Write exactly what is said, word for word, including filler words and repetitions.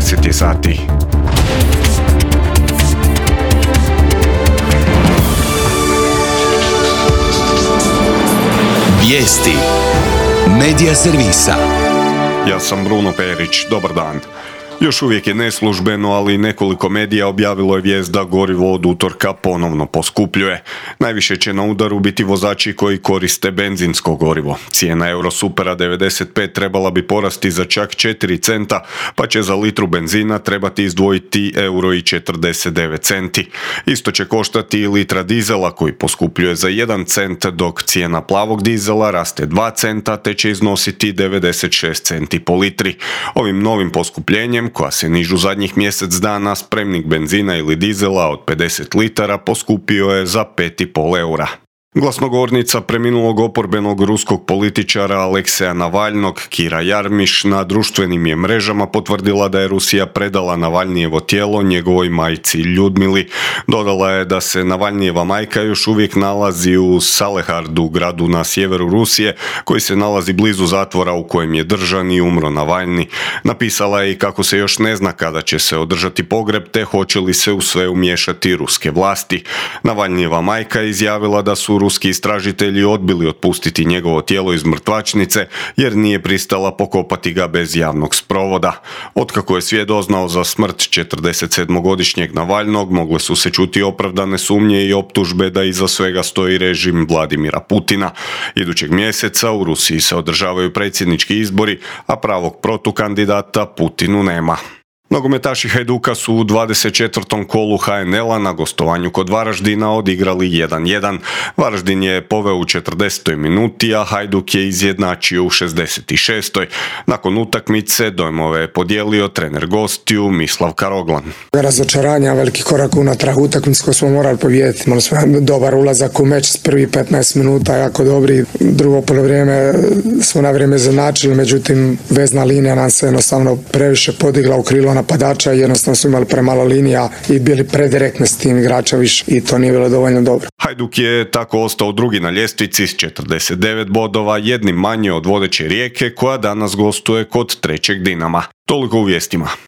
deset je sati. Vijesti Medija servisa. Ja sam Bruno Perić, dobar dan. Još uvijek je neslužbeno, ali nekoliko medija objavilo je vijest da gorivo od utorka ponovno poskupljuje. Najviše će na udaru biti vozači koji koriste benzinsko gorivo. Cijena Eurosupera devedeset pet trebala bi porasti za čak četiri centa, pa će za litru benzina trebati izdvojiti euro i četrdeset devet centi. Isto će koštati i litra dizela koji poskupljuje za jedan cent, dok cijena plavog dizela raste dva centa te će iznositi devedeset šest centi po litri. Ovim novim poskupljenjem, koja se nižu zadnjih mjesec dana, spremnik benzina ili dizela od pedeset litara poskupio je za pet i pol eura. Glasnogovornica preminulog oporbenog ruskog političara Alekseja Navalnog, Kira Jarmiš, na društvenim je mrežama potvrdila da je Rusija predala Navalnijevo tijelo njegovoj majci Ljudmili. Dodala je da se Navalnijeva majka još uvijek nalazi u Salehardu, gradu na sjeveru Rusije, koji se nalazi blizu zatvora u kojem je držan i umro Navalni. Napisala je i kako se još ne zna kada će se održati pogreb te hoće li se u sve umiješati ruske vlasti. Navalnijeva majka je izjavila da su ruski istražitelji odbili otpustiti njegovo tijelo iz mrtvačnice jer nije pristala pokopati ga bez javnog sprovoda. Otkako je svijet doznao za smrt četrdesetsedmogodišnjeg Navalnog, mogle su se čuti opravdane sumnje i optužbe da iza svega stoji režim Vladimira Putina. Idućeg mjeseca u Rusiji se održavaju predsjednički izbori, a pravog protukandidata Putinu nema. Nogometaši Hajduka su u dvadeset četvrtom kolu ha en el-a na gostovanju kod Varaždina odigrali jedan jedan. Varaždin je poveo u četrdesetoj minuti, a Hajduk je izjednačio u šezdeset šestoj. Nakon utakmice dojmove je podijelio trener gostiju Mislav Karoglan. Razočaranja, veliki korak unatrag, utakmicu koju smo morali pobijediti. Imali smo dobar ulazak u meč s prvi petnaest minuta, jako dobri. Drugo polovrijeme smo na vrijeme izjednačili, međutim vezna linija nam se jednostavno previše podigla u krilo napadača i jednostavno su imali premalo linija i bili predirektni s tim igrača više i to nije bilo dovoljno dobro. Hajduk je tako ostao drugi na ljestvici s četrdeset devet bodova, jednim manje od vodeće Rijeke koja danas gostuje kod trećeg Dinama. Toliko u vijestima.